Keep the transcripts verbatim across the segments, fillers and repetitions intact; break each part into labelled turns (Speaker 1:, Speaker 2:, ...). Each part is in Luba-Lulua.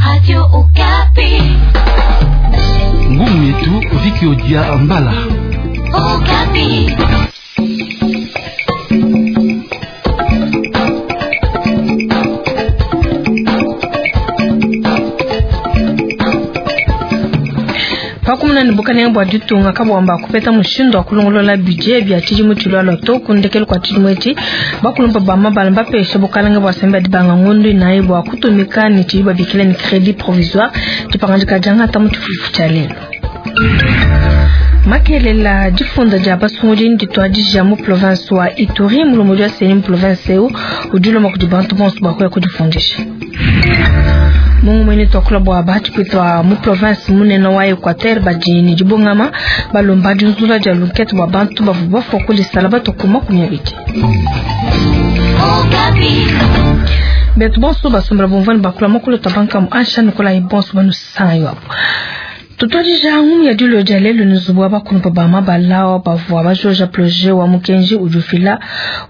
Speaker 1: Radio Okapi.
Speaker 2: Ngumu yetu Viki Odia Mbala.
Speaker 1: Okapi.
Speaker 3: Pakumuna ne bukalenge bua ditunga kabuamba kupeta mushindu wa kulongolola budget bia tshidimu tshilualua to ku ndekelu kua tshidimu etshi bakulumpa ba mabala mbapesha bukalenge bua sembe dibanga ngondu inayi bua kutumika ne tshidi babikila ne crédit provisoire dipangadika diangata mu tshifufu tshia lelo. Makelela difunda dia basungudi ndituadija mu province wa Ituri mulombodi wa CENI mu province eu udi ulomba kudi bantu bonso bua kuya kudifundisha. Mungu mwene twakula bua batshipita mu province munene wa Equateur badi ne dibungama balomba dinzula dia lunkete bua bantu bavua bafua kulisala batuku makumi abidi. Betu bonso basombela bumvua ne bakula mukulu twa ansha nikolayi bonso banusanga apo. Tutwadija ngumu ya dilo dia lelo ni zubu wa bakulumpa ba mabala bavua bajoja projet wa mukenji udi ufila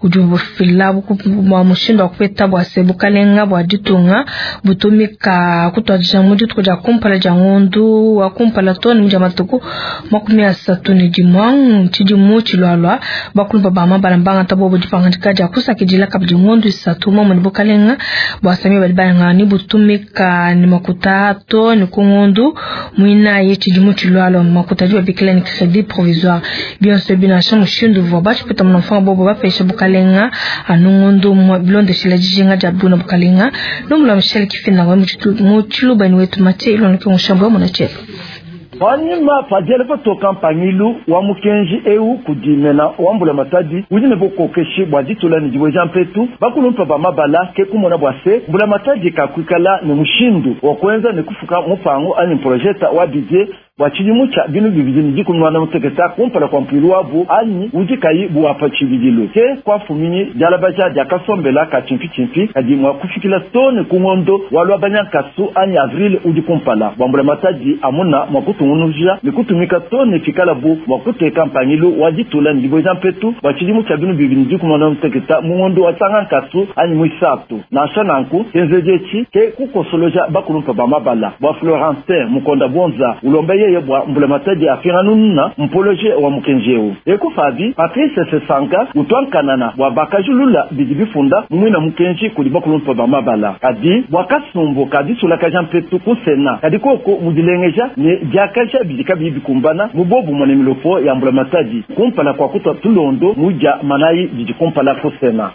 Speaker 3: udi ufila bua mushindu wa kupeta bua se bukalenga bua ditunga butumika kutwadija mu dituku dia kumpala dia ngondu wa kumpala to ne dia matuku makumi asatu ne dimue tshidimu tshilualua bakulumpa ba mabala mbangata bobo dipangadika dia kusakidila kabidi ngondu isatu momwe ne bukalenga bua sami badi bayanga ni butumika ne makuta to ne ku ngondu muinayi tshidimu tshilualua makuta adi babikila ne crédit provisoire bionso binansha mushindu uvua batshipeta munamfanga bobo bapesha bukalenga anu ngondu mwa bilondeshela dijinga dia buna bukalenga nomula Michel Kifinda mu tshilubani wetu Mathieu Iloneke mushambo wa muna tshietu.
Speaker 4: Panyima padiele patoka mpangilu wa mukenji eu kudimena wa mbula matadi udi ne bukokeshi bua ditula ne dibweja mpetu bakulumpa ba mabala ke kumona bua se mbula matadi kakuikala ne mushindu wa kuenza ne kufuka mupango anyi projeta wa budget bua tshidimu tshia binu bibidi ne dikumi muanda mutekete kumpala kua mpuilu wabu anyi udi kayi buapa tshibidilu ke kuafuminyi dialabaja diakasombela ka tshimpitshimpi kadi mua kufikila to ne ku ngondo wa lwabanyankasu anyi avril udi kumpala bua mbula matadi amuna mua kutungunuja ne kutumika to ne fikala bu mua kuteka mpangilu wa ditula ne dibweja mpetu bua tshidimu tshia binu bibidi ne dikumi muanda mutekete mu ngondo wa tsangankasu anyi muisatu nansha nanku kenzeji etshi ke kukosoloja bakulumpa ba mabala bua Florentin Mukonda Bonza ulomba yeye bua mbula matadi afinganununa mpoloje wa mukenji eu ekufabi Patrice Sesanka utwankanana bua bakajulula bidi bifunda mumwina mukenji kudi bakulumpa ba mabala kadi bua kasumbu kadisulakaja mpetu ku sena kadi koko mudilengeja ne diakaja bidi kabiyi bikumbana mu bobumue ne milopo ya mbula matadi kumpala kua kutua tulondo mudia manayi didi kumpala ku sena.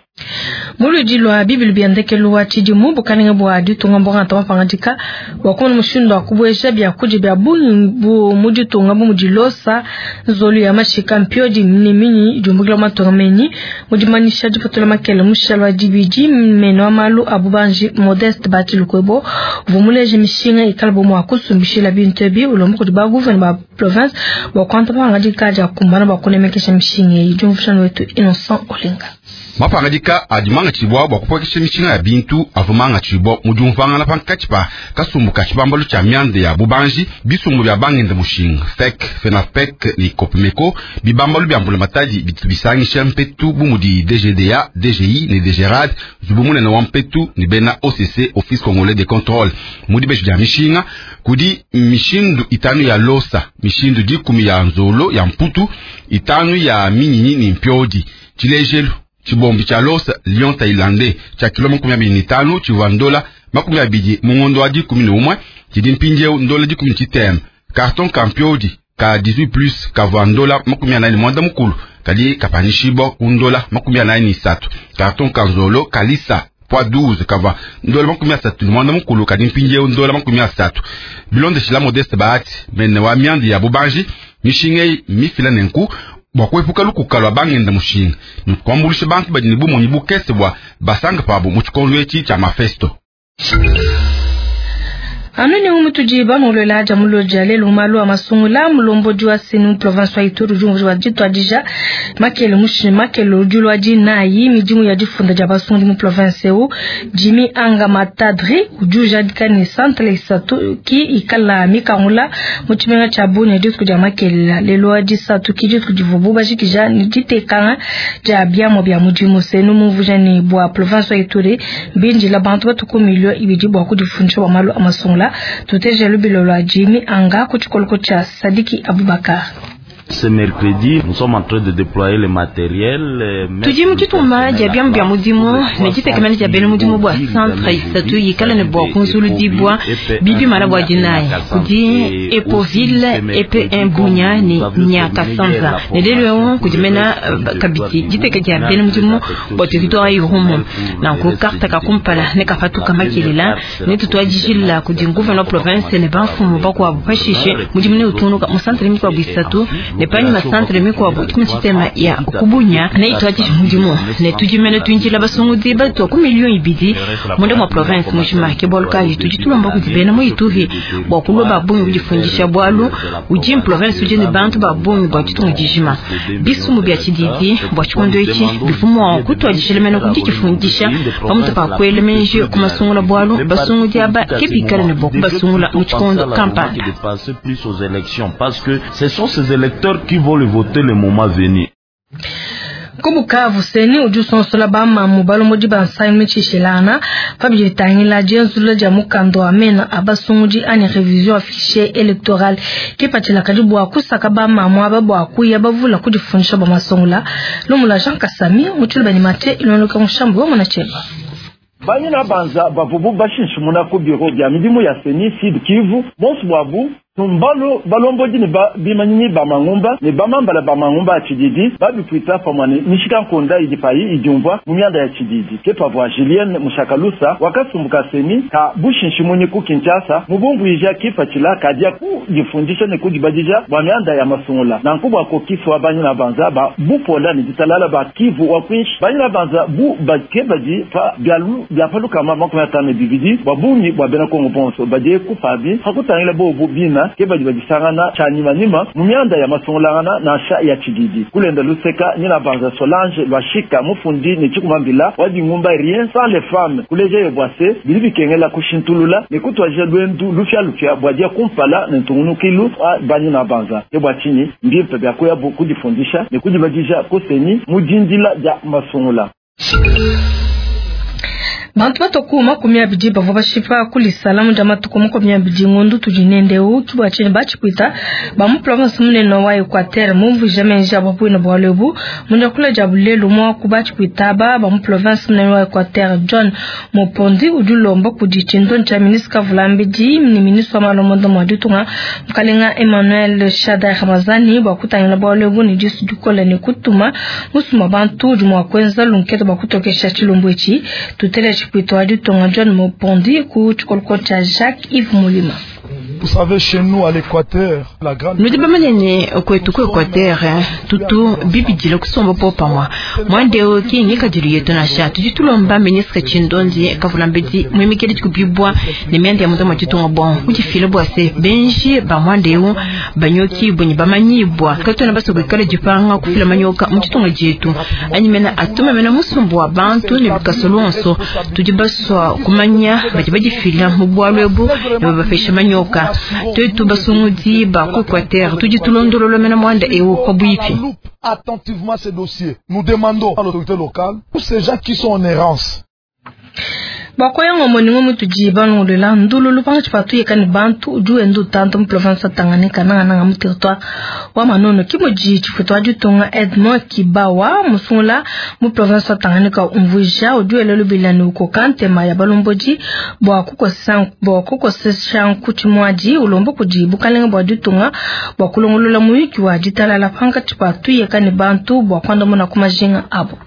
Speaker 3: Muludi lwa bibilu bia ndekelu wa tshidimu bukalenge bua ditunga mbongata mapangadika bua kumona mushindu wa kubueja biakudia bia bungi bu mu ditunga bu mudi losa nzolu ya mashika mpiodi ne minyi idiumbukila matunga menyi mu dimanyisha dipatula makele mushalo wa dibidi meno wa malu a bubanji Modeste Batilukwebo uvua muleje mishinga ikala bo mua kusumbishila bintu ebi ulomba kudi baguvene ba province bua kuanta mapangadika dia kumbana bua kunemekesha mishinga eyi. Diumvuishano wetu Innocent Olenga.
Speaker 5: Mapangadika adi mangatshibua bua kupuekesha mishinga ya bintu avua mangatshibua mu diumvuangana pankatshi pa kasumbu ka tshibambalu tshia mianda ya bubanji bisumbu bia bangenda mushinga F E C, FENAFEC ne COPMECO bibambalu bia mbula matadi bitu bisangisha mpetu bu mudi D G D A, D G I ne D G R A D nzubu munene wa mpetu ne bena O C C Office Congolais de Contrôle mu dibeji dia mishinga kudi mishindu itanu ya losa mishindu dikumi ya nzolo ya mputu itanu ya minyinyi ne mpiodi tshilejelu tshibombi tshia losa lion thaïlandais tshia kilo makumi abidi ne tanu tshivua ndola makumi abidi mu ngondo wa dikumi ne umue tshidi mpindieu ndola dikumi ne tshitema carton ka mpiodi ka dix-huit plus kavua ndola makumi anayi ne muanda mukulu kadi kapanyishibua ku ndola makumi anayi ne isatu carton ka nzolo kalisa poids douze kavua ndola makumi asatu ne muanda mukulu kadi mpindieu ndola makumi asatu bilondeshila Modeste Bahati mene wa mianda ya bubanji mishinga eyi mifila nenku bua kuepuka lukuka lwa bangenda mushinga ne kuambuluisha bantu badi ne bumonyi bukese bua basanga pabo mu tshikondo etshi tshia mafesto.
Speaker 3: Anu ne umutudi bamulola dia muloja lelo malu a masungula mulombodi wa CENI province wa Ituri udi wa ditwadija makele mushi makele udi lwa dinayi midimu ya difunda dia basungudi mu province eu Jimmy Anga Matadri udi ujadika ne centre isatu ki ikala mikangula mu tshimenga tshia Bunia dituku dia makele lelo wa disatu ki dituku divubu bajikija ne ditekanga dia biamua bia mudimu CENI mumvuja ne bua province wa Ituri mbindila bantu batuku milio ibidi bua kudifundisha bua malu a masungula. masungula tuteje lubilo lwa Jimmy Anga ku tshikoloko tshia Sadiki Abubakar.
Speaker 6: Ce mercredi, nous sommes en train de déployer le matériel.
Speaker 7: Tudi mu dituma dia biamu bia mudimu ne ditekemena dia bena mudimu bua centre isatu yikala ne bua kunzuludibua bibimala bua dinayi kudi Epoville E P un Bunya ne Nyakasanza ne lelu eu kudi mena kabidi diteka dia bena mudimu bua territoire Irumu nanku carte ka kumpala ne kapatuka makelela ne tutuadijila kudi gouverneur province ne bamfumu bakuabu pashishe mudimu ne utunuka mu centre mikuabu isatu ne panyima centre mikuabu tshitema ya kubunya ne itwadisha mudimu ne tudimene tuinjila basungudi batua ku milioni ibidi munda mwa province mujima ke bwalu kayi tudi tulomba kudi bena mu Ituri bua kulua ba bungi kudifundisha bwalu udi province udi ne bantu ba bungi bua ditunga dijima bisumu bia tshididi bua tshikondo etshi bifumu kutuadishila mene kudifundisha pamutu pa kuela menji ku masungula bwalu basungudi aba ke bikala ne bua kubasungula mu tshikondo kampanda.
Speaker 6: Parce que ce sont ces électeurs qui vont le voter le moment venu.
Speaker 3: Kubukavu seni udi usonsola bamamu balomodi ba nsangi mitshishilana pabidi bitangila dienzulula dia mukanda wa mena abasungudi ani revision ya fichier électoral kipatshila kadi bua kusaka bamamu aba bua kuya bavula kudifundisha bua masungula lumula Jean Kasami mutshulu bani mate ilondoka mushambu wa munacheba.
Speaker 4: Banyina banza bavubu bashinshimuna ku biro bya midimu ya seni Sud Kivu bonso bwabu tumbalo balombodi ne ba bimanyinyi ba mangumba ne bamambala ba mangumba ya tshididi babipwita pamwe ne mishika nkonda idi payi idiumvua mu mianda ya tshididi ke pavua Julienne Mushakalusa wakasumbuka seni ka bushinshimunyi ku Kinshasa mubumvuija kipatshila kadia kudifundisha ne kudibadija bua mianda ya masungula nanku bua kokiswa banyina banza ba bupola ne ditalala ba Kivu wa kwinshi banyina banza bu bake badi pa bialu bia palukama makumi atano ne bibidi bua bungi bua bena Kongo bonso badie kupabi hakutangila bobu bina ke badi badisangana tshanyimanyima mu mianda ya masungulangana nansha ya tshididi kulenda luseka nyina banza Solange lwashika mufundi ne tshikumambila wadingumba rien sans les femmes kuleja yo bwase bili bikengela kushintulula ne kutwaja lwendu lufya lufya bwadia kumpala ne ntungunukilu a banyina banza ke bwa tshinyi mbimpe bya kuya kudifundisha ne kudibadija kuseni mudindila dia masungula.
Speaker 3: Bantu batoku makumi abidi bavua bashipa kuli salamu dia matuku makumi abidi ngondu tudi nendeu kibua tshinyi batshipwita ba mu province munene wa Equateur mumvuija menji abo bwina bwalu ebu munda kula dia bulelu mwaku batshipwita aba ba mu province munene wa Equateur John Mopondi udi ulomba kudi tshindondi tshia ministre Kavulambidi ni ministre wa malomondo mwa ditunga mukalenga Emmanuel Shadary Ramazani bua kutangila bwalu ebu ne disu dikola ne kutuma musuma bantu udi mua kuenza lunkete bua kutokesha tshilumbu etshi tutele Pwito ditunga John Mopondi ku tshikoloko tshia Jacques Yves Mulima.
Speaker 8: Vous savez, chez nous à l'Équateur, la grande
Speaker 7: Nudi bamanene kwetu ku Equateur tutu bibidila kusomba po pamwa mwandeo kingi kadilu yetu nasha tudi tulomba ministre Tshindondi Kavulambedi mwimikeli tshikubibwa ne mianda ya mutama tshitunga bon kudifila bwa se benji ba mwandeo banyoki bunyi bamanyibwa katona basobikala dipanga kufila manyoka mu tshitunga dietu anyimena atuma mena musumbu wa bantu ne bikasolonso tudi baswa kumanya badi badifila mu bwalu ebu ne babapesha manyoka twetu basungudi ba ku Equateur tudi tulondolola mena mwanda ewu kwa bwipi.
Speaker 8: Attentivement ces dossiers. Nous demandons à l'autorité locale, tous ces gens qui sont en errance.
Speaker 3: Bakoyango moningo mutuji bangulela ndululu pangatshi patu yekani bantu udi wenda utanta mu province ya Tanganyika nangananga mu territoire wa Manono kimudi tshifutu wa ditunga Edmond Kibawa musungula mu province wa Tanganyika umvuija udi wela lubila ne ukoka ntema ya balombodi bua kukosesa bua kukosesha nkutshimuadi ulomba kudi bukalenga bua ditunga bua kulongolola muyuki wa ditalala pangatshi patu yekani bantu bua kuandamuna ku majinga abo.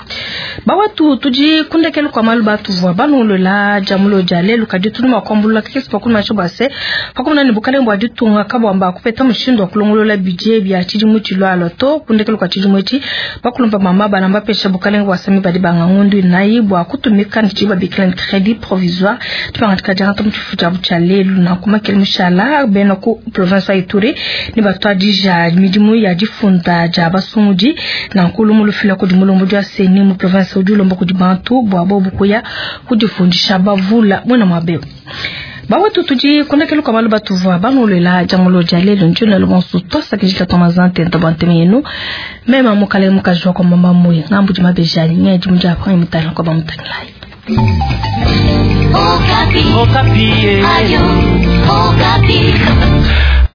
Speaker 3: Bawatu tudi kundekelu kwa malu batuvua bangulela jamulo jale lukadi tunu makwambulula kesi pakuna chobase pakumna ni bukalenga bwa ditunga kabwamba kupeta mushindo wa kulongolola budget bya tshidimu tshilwalo to kundekelu kwa tshidimu etshi bakulomba mama banamba pesha bukalenga bwa sami badi banga ngundu nayi bwa kutumika ntshiba bikila crédit provisoire tupangatika janga mtshifu tshia butshale na kumakele mushala bena ku province ya Ituri ni batwadija midimu ya difunda ja basungudi na nkulumu lufila kudi mulombo dya seni mu province udi ulomba kudi bantu bwa bobu kuya kudifundisha bavula mwena mwabe. Bawatu tudi kundekelu kwa malu batuvua bangulela jamulo jale lunjuna lumonsu tosa kijika tomazante ntabante yenu mema mukale mukajwa kwa mama muyi ngambu jimabejani ngeji mja aprangi mutala kwa bamutangilai.
Speaker 1: Okapi. Okapi. Ayo.